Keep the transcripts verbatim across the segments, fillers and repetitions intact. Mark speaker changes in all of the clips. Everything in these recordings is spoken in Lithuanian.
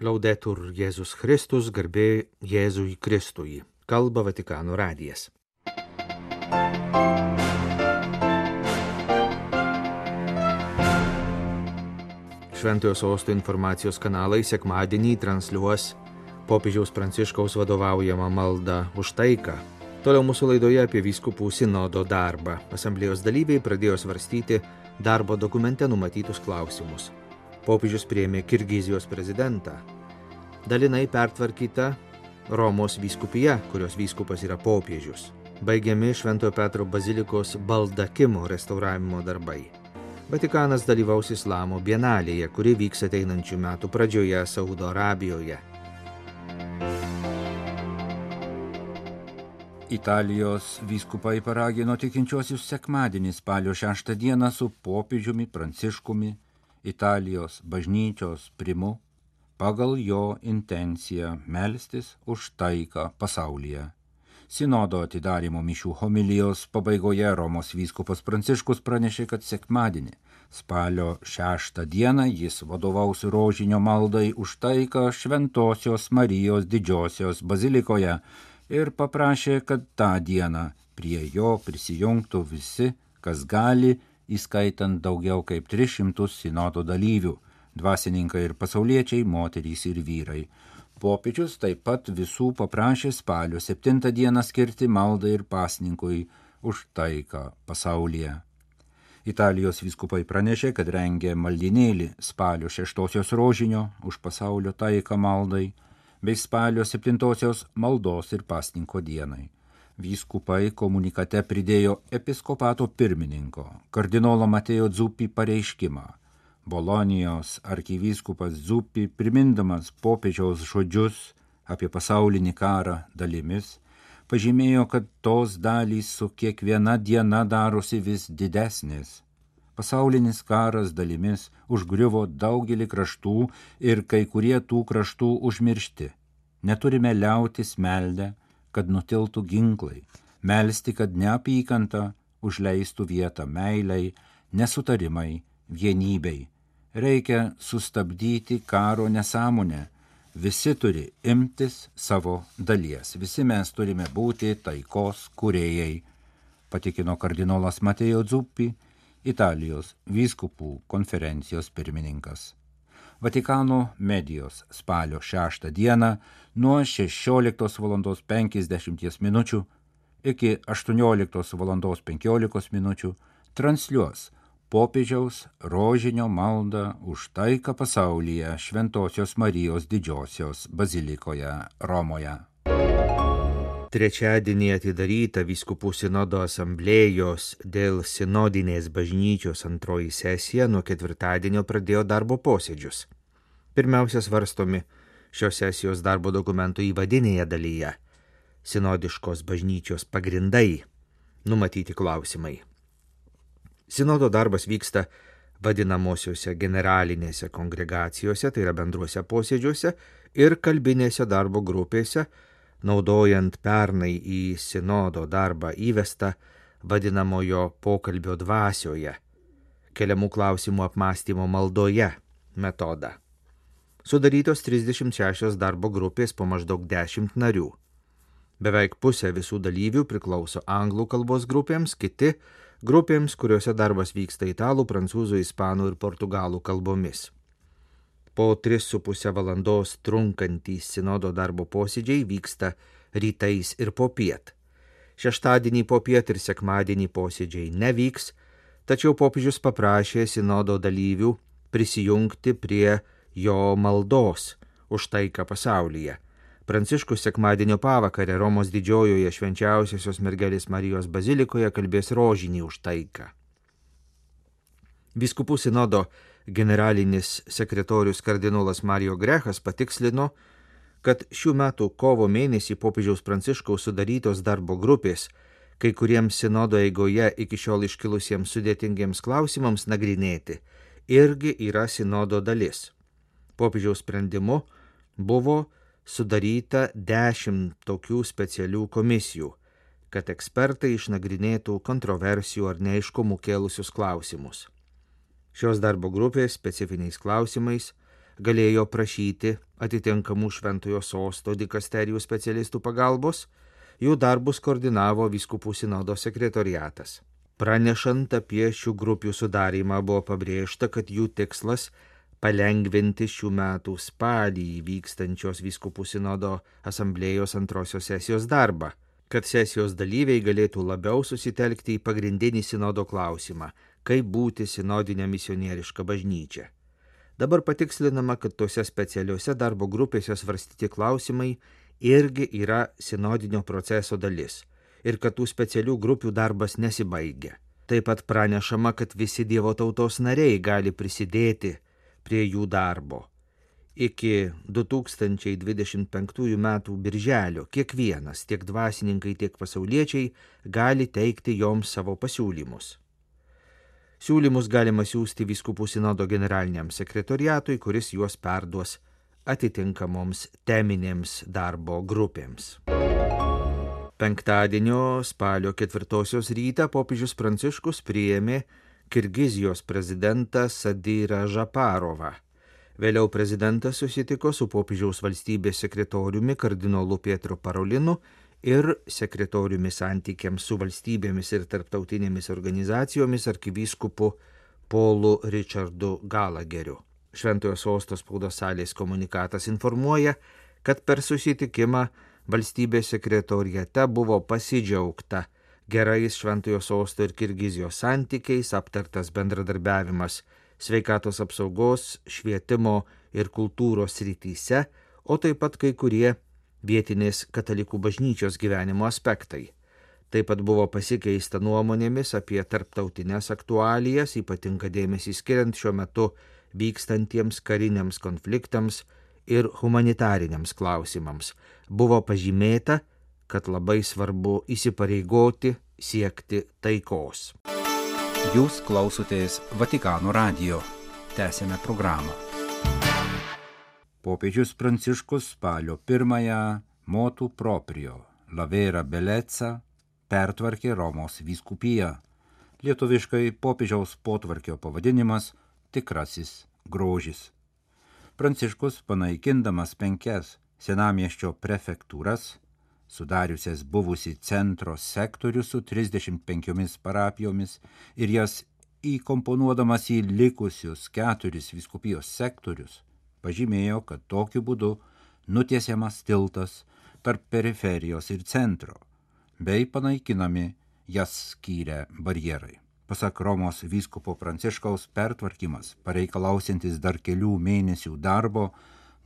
Speaker 1: Laudetur Jėzus Kristus, garbė Jėzui Kristui. Kalba Vatikano radijas. Šventojo sosto informacijos kanalai sekmadienį transliuos popiežiaus Pranciškaus vadovaujamą maldą už taiką. Toliau mūsų laidoje apie vyskupų sinodo darbą. Asamblėjos dalyviai pradėjo svarstyti darbo dokumente numatytus klausimus. Popiežius priėmė Kirgizijos prezidentą. Dalinai pertvarkyta Romos vyskupija, kurios vyskupas yra popiežius. Baigiami Šventojo Petro bazilikos baldakimo restauravimo darbai. Vatikanas dalyvaus Islamo bienalėje, kuri vyks ateinančių metų pradžioje Saudo Arabijoje.
Speaker 2: Italijos vyskupai paragino tikinčiuosius sekmadienį spalio šeštą dieną su popiežiumi Pranciškumi, Italijos bažnyčios primu, pagal jo intenciją melstis už taiką pasaulyje. Sinodo atidarymo mišių homilijos pabaigoje Romos vyskupas Pranciškus pranešė, kad sekmadienį, spalio šeštą dieną, jis vadovaus rožinio maldai už taiką Šventosios Marijos Didžiosios bazilikoje ir paprašė, kad tą dieną prie jo prisijungtų visi, kas gali, įskaitant daugiau kaip tris šimtus sinodo dalyvių, dvasininkai ir pasauliečiai, moterys ir vyrai. Popiežius taip pat visų paprašė spalio septintą dieną skirti maldai ir pasninkui už taiką pasaulyje. Italijos vyskupai pranešė, kad rengė maldinėlį spalio šeštosios rožinio už pasaulio taiką maldai bei spalio septintosios maldos ir pasninko dienai. Vyskupai komunikate pridėjo episkopato pirmininko, kardinolo Mateo Zuppi pareiškimą. Bolonijos arkivyskupas Zuppi, primindamas popiežiaus žodžius apie pasaulinį karą dalimis, pažymėjo, kad tos dalys su kiekviena diena darosi vis didesnės. Pasaulinis karas dalimis užgriuvo daugelį kraštų ir kai kurie tų kraštų užmiršti. Neturime liautis meldę, kad nutiltų ginklai, melsti, kad neapykanta užleistų vietą meilei, nesutarimai, vienybei. Reikia sustabdyti karo nesąmonę. Visi turi imtis savo dalies. Visi mes turime būti taikos kūrėjai, patikino kardinolas Mateo Zuppi, Italijos vyskupų konferencijos pirmininkas. Vatikano medijos spalio šeštą dieną nuo šešioliktos valandos penkiasdešimties minučių iki aštuonioliktos valandos penkiolikos minučių transliuos popiežiaus rožinio maldą už taiką pasaulyje Šventosios Marijos Didžiosios bazilikoje Romoje.
Speaker 1: Trečiadienį atidaryta vyskupų sinodo asamblėjos dėl sinodinės bažnyčios antroji sesija nuo ketvirtadienio pradėjo darbo posėdžius. Pirmiausia svarstomi šios sesijos darbo dokumentų įvadinėje dalyje sinodiškos bažnyčios pagrindai, numatyti klausimai. Sinodo darbas vyksta vadinamosiuose generalinėse kongregacijose, tai yra bendruose posėdžiuose ir kalbinėse darbo grupėse, naudojant pernai į sinodo darbą įvestą vadinamojo pokalbio dvasioje, keliamų klausimų apmąstymo maldoje metodą. Sudarytos trisdešimt šešios darbo grupės po maždaug dešimt narių. Beveik pusė visų dalyvių priklauso anglų kalbos grupėms, kiti grupėms, kuriuose darbas vyksta italų, prancūzų, ispanų ir portugalų kalbomis. Po tris su pusę valandos trunkantys sinodo darbo posėdžiai vyksta rytais ir popiet. Šeštadienį popiet ir sekmadienį posėdžiai nevyks, tačiau popiežius paprašė sinodo dalyvių prisijungti prie jo maldos už taiką pasaulyje. Pranciškus sekmadienio pavakarę Romos didžiojoje švenčiausiosios mergelės Marijos bazilikoje kalbės rožinį už taiką. Vyskupų sinodo generalinis sekretorius kardinolas Mario Grechas patikslino, kad šių metų kovo mėnesį popiežiaus Pranciškaus sudarytos darbo grupės kai kuriems sinodo eigoje iki šiol iškilusiems sudėtingiems klausimams nagrinėti irgi yra sinodo dalis. Popiežiaus sprendimu buvo sudaryta dešimt tokių specialių komisijų, kad ekspertai išnagrinėtų kontroversijų ar neaiškumų kėlusius klausimus. Šios darbo grupės specifiniais klausimais galėjo prašyti atitinkamų Šventojo Sosto dikasterijų specialistų pagalbos, jų darbus koordinavo vyskupų sinodo sekretoriatas. Pranešant apie šių grupių sudarymą buvo pabrėžta, kad jų tikslas palengvinti šių metų spalį vykstančios vyskupų sinodo asamblėjos antrosios sesijos darbą, kad sesijos dalyviai galėtų labiau susitelkti į pagrindinį sinodo klausimą, kaip būti sinodinė misionieriška bažnyčia. Dabar patikslinama, kad tose specialiuose darbo grupėse svarstyti klausimai irgi yra sinodinio proceso dalis ir kad tų specialių grupių darbas nesibaigia. Taip pat pranešama, kad visi Dievo tautos nariai gali prisidėti prie jų darbo. Iki du tūkstančiai dvidešimt penktųjų metų birželio kiekvienas, tiek dvasininkai, tiek pasauliečiai, gali teikti joms savo pasiūlymus. Siūlymus galima siųsti vyskupų sinodo generaliniam sekretoriatui, kuris juos perduos atitinkamoms teminėms darbo grupėms. Penktadienio spalio ketvirtosios rytą popiežius Pranciškus priėmė Kirgizijos prezidentą Sadyrą Žaparovą. Vėliau prezidentas susitiko su popiežiaus valstybės sekretoriumi kardinolu Pietru Parolinu ir sekretoriumi santykiams su valstybėmis ir tarptautinėmis organizacijomis arkivyskupu Polu Richardu Galageriu. Šventojo Sosto spaudos salės komunikatas informuoja, kad per susitikimą valstybės sekretoriate buvo pasidžiaugta gerais Šventojo Sosto ir Kirgizijos santykiais, aptartas bendradarbiavimas sveikatos apsaugos, švietimo ir kultūros srityse, o taip pat kai kurie vietinės katalikų bažnyčios gyvenimo aspektai. Taip pat buvo pasikeista nuomonėmis apie tarptautinės aktualijas, ypatinga dėmesį skiriant šiuo metu vykstantiems kariniams konfliktams ir humanitariniams klausimams. Buvo pažymėta, kad labai svarbu įsipareigoti siekti taikos.
Speaker 2: Jūs klausotės Vatikano radijo. Tęsėme programą. Popiežius Pranciškus spalio pirmąją motu proprio La Vera Bellezza pertvarkė Romos vyskupiją. Lietuviškai popiežiaus potvarkio pavadinimas Tikrasis grožis. Pranciškus, panaikindamas penkias senamiesčio prefektūras, sudariusias buvusi centro sektorių su trisdešimt penkiomis parapijomis ir jas įkomponuodamas į likusius keturis vyskupijos sektorius, pažymėjo, kad tokiu būdu nutiesiamas tiltas tarp periferijos ir centro, bei panaikinami jas skyrę barjerai. Pasak Romos vyskupo Pranciškaus, pertvarkymas, pareikalausiantis dar kelių mėnesių darbo,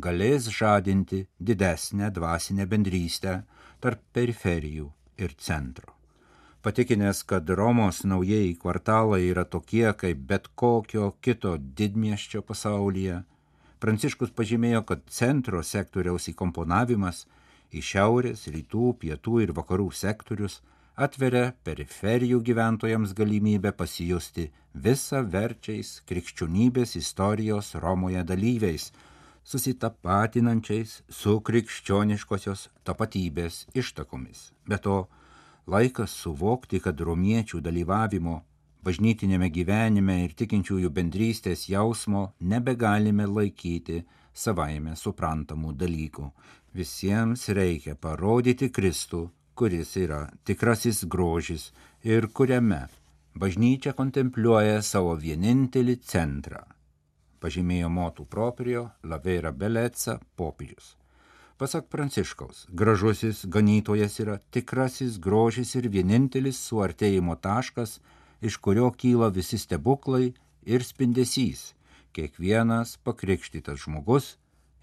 Speaker 2: galės žadinti didesnę dvasinę bendrystę tarp periferijų ir centro. Patikinęs, kad Romos naujieji kvartalai yra tokie kaip bet kokio kito didmiesčio pasaulyje, Pranciškus pažymėjo, kad centro sektoriaus įkomponavimas į šiaurės, rytų, pietų ir vakarų sektorius atveria periferijų gyventojams galimybę pasijusti visa verčiais krikščionybės istorijos Romoje dalyviais, susitapatinančiais su krikščioniškosios tapatybės ištakomis. Be to, laikas suvokti, kad romiečių dalyvavimo bažnytinėme gyvenime ir tikinčiųjų bendrystės jausmo nebegalime laikyti savaime suprantamų dalykų. Visiems reikia parodyti Kristų, kuris yra tikrasis grožis ir kuriame bažnyčia kontempliuoja savo vienintelį centrą, pažymėjo motu proprio La Vera Bellezza popiežius. Pasak Pranciškaus, gražusis ganytojas yra tikrasis grožis ir vienintelis suartėjimo taškas, iš kurio kyla visi stebuklai ir spindesys. Kiekvienas pakrikštytas žmogus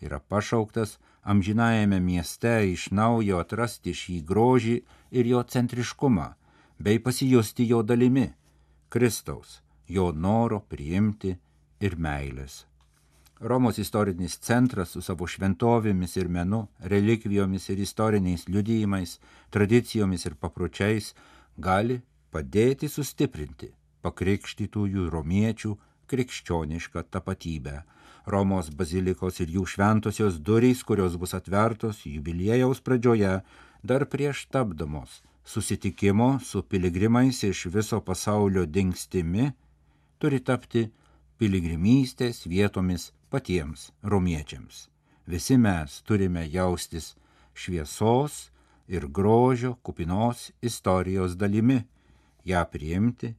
Speaker 2: yra pašauktas amžinajame mieste iš naujo atrasti šį grožį ir jo centriškumą, bei pasijusti jo dalimi, Kristaus, jo noro priimti ir meilės. Romos istorinis centras su savo šventovėmis ir menu, relikvijomis ir istoriniais liudijimais, tradicijomis ir papročiais gali padėti sustiprinti pakrikštytųjų romiečių krikščionišką tapatybę. Romos bazilikos ir jų šventosios durys, kurios bus atvertos jubiliejaus pradžioje, dar prieš tapdamos susitikimo su piligrimais iš viso pasaulio dingstimi, turi tapti piligrimystės vietomis patiems romiečiams. visi mes turime jaustis šviesos ir grožio kupinos istorijos dalimi, ją priimti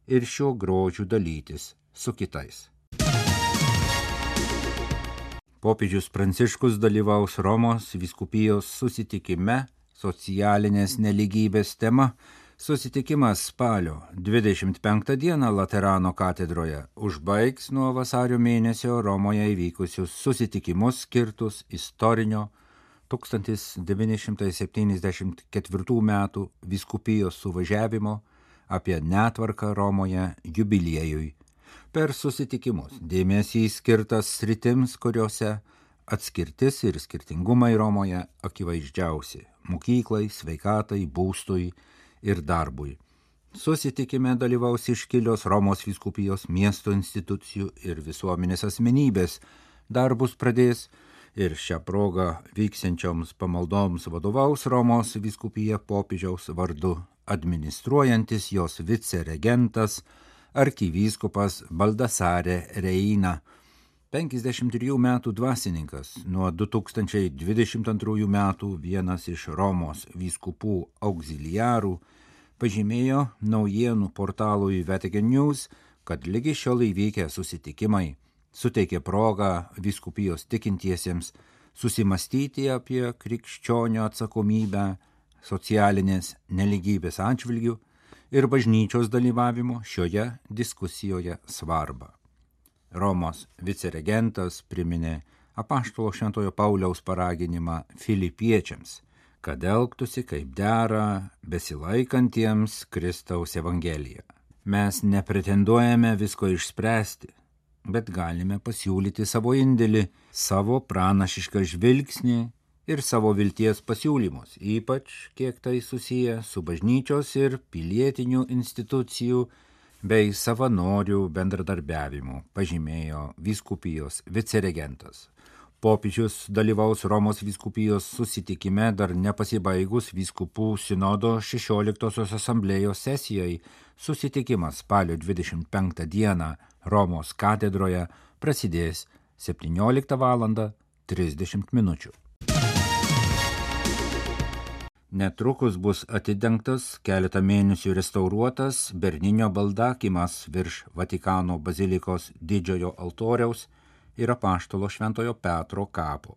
Speaker 2: ir šiuo grožiu dalytis su kitais. Popiežius Pranciškus dalyvaus Romos vyskupijos susitikime socialinės neligybės tema. Susitikimas spalio dvidešimt penktą dieną Laterano katedroje užbaigs nuo vasario mėnesio Romoje įvykusius susitikimus skirtus istorinio tūkstantis devyni šimtai septyniasdešimt ketvirtų metų vyskupijos suvažiavimo apie netvarką Romoje jubiliejui. Per susitikimus dėmesys skirtas sritims, kuriuose atskirtis ir skirtingumai Romoje akivaizdžiausi – mokyklai, sveikatai, būstui ir darbui. Susitikime dalyvaus iškilios Romos vyskupijos miesto institucijų ir visuomenės asmenybės. Darbus pradės ir šią progą vyksiančioms pamaldoms vadovaus Romos vyskupija popiežiaus vardu administruojantis jos viceregentas arkivyskupas Baldasare Reina. penkiasdešimt trijų metų dvasininkas, nuo du tūkstančiai dvidešimt antrųjų metų vienas iš Romos vyskupų auxiliarų, pažymėjo naujienų portalui Vatican News, kad lygi šiol įvykę susitikimai suteikė progą vyskupijos tikintiesiems susimastyti apie krikščionio atsakomybę socialinės neligybės atžvilgių ir bažnyčios dalyvavimo šioje diskusijoje svarbą. Romos viceregentas priminė apaštalo Šventojo Pauliaus paraginimą filipiečiams, kad elgtųsi kaip dera besilaikantiems Kristaus evangeliją. Mes nepretenduojame visko išspręsti, bet galime pasiūlyti savo indėlį, savo pranašišką žvilgsnį ir savo vilties pasiūlymus, ypač kiek tai susiję su bažnyčios ir pilietinių institucijų bei savanorių bendradarbiavimu, pažymėjo vyskupijos viceregentas. Popiežius dalyvaus Romos vyskupijos susitikime dar nepasibaigus vyskupų sinodo šešioliktosios asamblėjos sesijai. Susitikimas spalio dvidešimt penktą dieną Romos katedroje prasidės septynioliktą valandą trisdešimt minučių. Netrukus bus atidengtas keletą mėnesių restauruotas Berninio baldakimas virš Vatikano bazilikos didžiojo altoriaus ir apaštalo Šventojo Petro kapo.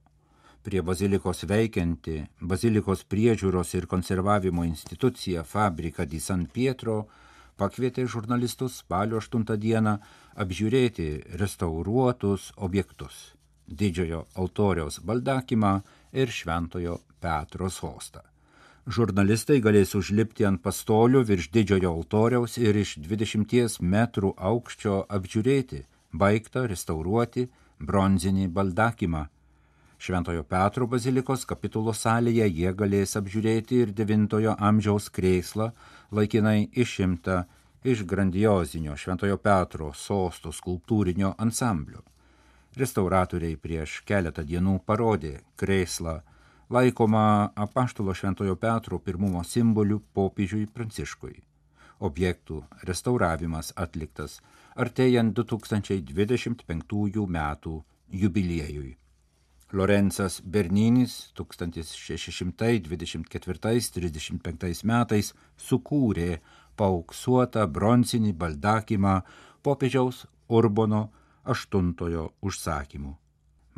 Speaker 2: Prie bazilikos veikianti bazilikos priežiūros ir konservavimo institucija Fabrica di San Pietro pakvietė žurnalistus spalio aštuntą dieną apžiūrėti restauruotus objektus – didžiojo altoriaus baldakimą ir Šventojo Petro sostą. Žurnalistai galės užlipti ant pastolių virš didžiojo altoriaus ir iš dvidešimties metrų aukščio apžiūrėti baigtą restauruoti bronzinį baldakimą. Šventojo Petro bazilikos kapitulos salėje jie galės apžiūrėti ir devintojo amžiaus krėslą, laikinai išimtą iš grandiozinio Šventojo Petro sosto skulptūrinio ansamblio. Restauratoriai prieš keletą dienų parodė krėslą, laikoma apaštalo Šventojo Petro pirmumo simboliu popiežiui Pranciškui. Objektų restauravimas atliktas artėjant du tūkstančiai dvidešimt penktųjų metų jubiliejui. Lorenzas Berninis tūkstantis šeši šimtai dvidešimt ketvirtais trisdešimt penktais metais sukūrė paauksuotą bronzinį baldakimą popiežiaus Urbono aštuntojo užsakymu.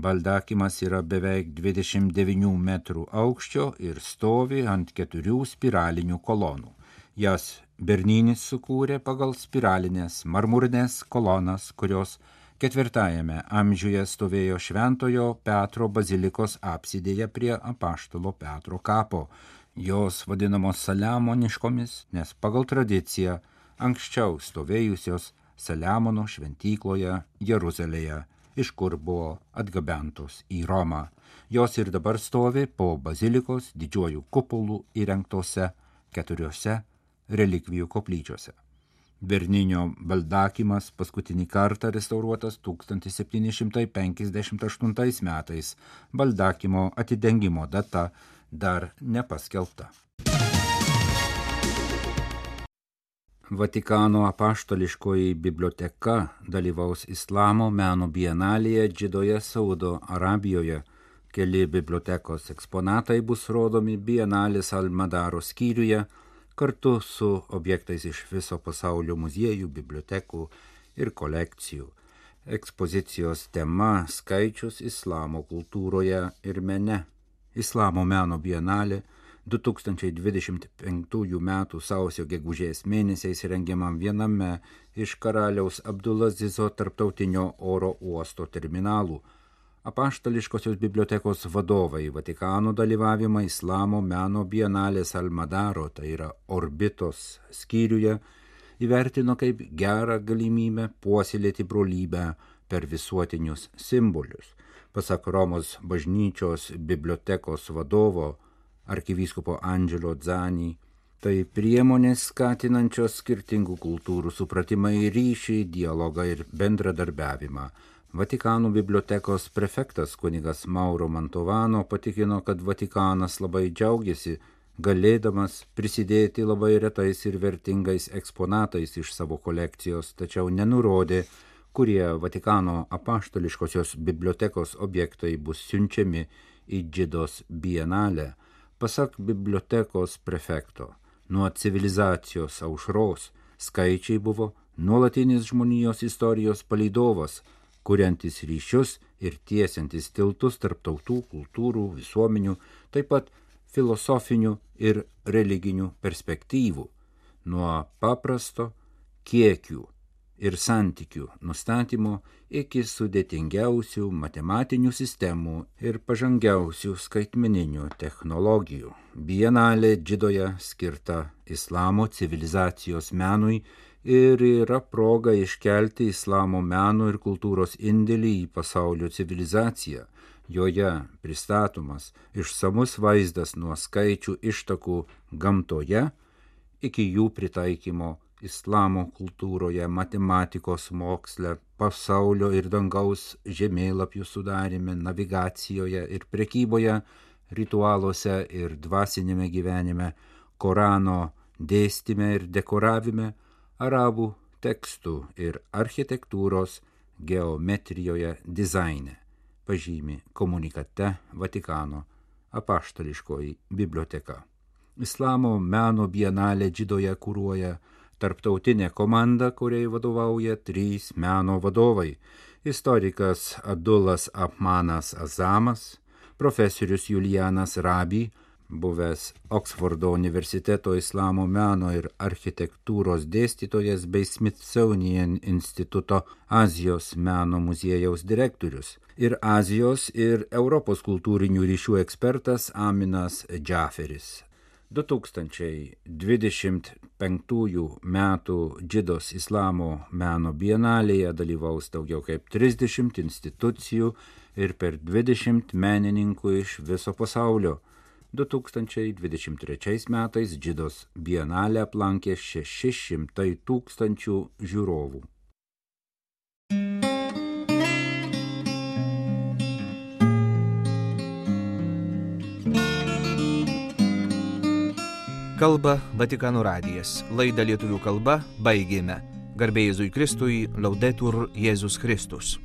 Speaker 2: Baldakimas yra beveik dvidešimt devynių metrų aukščio ir stovi ant keturių spiralinių kolonų. Jas Berninis sukūrė pagal spiralinės marmurinės kolonas, kurios ketvirtajame amžiuje stovėjo Šventojo Petro bazilikos apsidėje prie apaštalo Petro kapo. Jos vadinamos saliamoniškomis, nes pagal tradiciją anksčiau stovėjusios Saliamono šventykloje Jeruzalėje, iš kur buvo atgabentos į Romą. Jos ir dabar stovi po bazilikos didžiuojų kupolų įrengtose keturiose relikvijų koplyčiose. Berninio baldakimas paskutinį kartą restauruotas tūkstantis septyni šimtai penkiasdešimt aštuntais metais. Baldakimo atidengimo data dar nepaskelbta. Vatikano apaštališkoji biblioteka dalyvaus Islamo meno bienalėje Džidoje, Saudo Arabijoje Keli bibliotekos eksponatai bus rodomi Bienalės Almadaro skyriuje kartu su objektais iš viso pasaulio muziejų, bibliotekų ir kolekcijų. Ekspozicijos tema – skaičius islamo kultūroje ir mene. Islamo meno bienalė du tūkstančiai dvidešimt penktųjų metų sausio gegužės mėnesiais rengiamam viename iš karaliaus Abdulazizo tarptautinio oro uosto terminalų. Apaštališkosios bibliotekos vadovai Vatikano dalyvavimą Islamo meno bienalės Almadaro, tai yra Orbitos skyriuje, įvertino kaip gerą galimybę puoselėti brolybę per visuotinius simbolius. Pasak Romos bažnyčios bibliotekos vadovo arkivyskupo Angelo Zani, tai priemonės skatinančios skirtingų kultūrų supratimą į ryšį, dialogą ir bendradarbiavimą. Vatikano bibliotekos prefektas kunigas Mauro Mantovano patikino, kad Vatikanas labai džiaugiasi, galėdamas prisidėti labai retais ir vertingais eksponatais iš savo kolekcijos, tačiau nenurodė, kurie Vatikano apaštališkosios bibliotekos objektai bus siunčiami į Džidos bienalę. Pasak bibliotekos prefekto, nuo civilizacijos aušros skaičiai buvo nuolatinis žmonijos istorijos palydovas, kuriantis ryšius ir tiesiantis tiltus tarp tautų, kultūrų, visuomenių, taip pat filosofinių ir religinių perspektyvų, nuo paprasto kiekių ir santykių nustatymo iki sudėtingiausių matematinių sistemų ir pažangiausių skaitmeninių technologijų. Bienalė Džidoje skirta islamo civilizacijos menui ir yra proga iškelti islamo meno ir kultūros indėlį į pasaulio civilizaciją. Joje pristatomas išsamus vaizdas nuo skaičių ištakų gamtoje iki jų pritaikymo islamo kultūroje, matematikos moksle, pasaulio ir dangaus žemėlapių sudarime, navigacijoje ir prekyboje, ritualuose ir dvasinėme gyvenime, Korano dėstyme ir dekoravime, arabų tekstų ir architektūros geometrijoje dizaine, pažymi komunikate Vatikano apaštališkoji biblioteka. Islamo meno bienalė Džidoje kuruoja tarptautinė komanda, kuriai vadovauja trys meno vadovai – istorikas Abdulas Apmanas Azamas, profesorius Julianas Rabi, buvęs Oksfordo universiteto islamo meno ir architektūros dėstytojas bei Smithsonian instituto Azijos meno muziejaus direktorius, ir Azijos ir Europos kultūrinių ryšių ekspertas Aminas Džaferis. du tūkstančiai dvidešimt penktųjų metų Džidos islamo meno bienalėje dalyvaus daugiau kaip trisdešimt institucijų ir per dvidešimt menininkų iš viso pasaulio. du tūkstančiai dvidešimt trečiais metais Džidos bienalę aplankė šeši šimtai tūkstančių žiūrovų.
Speaker 1: Kalba Vatikano radijas. Laidą lietuvių kalba baigėme. Garbė Jėzui Kristui, Laudetur Jėzus Kristus.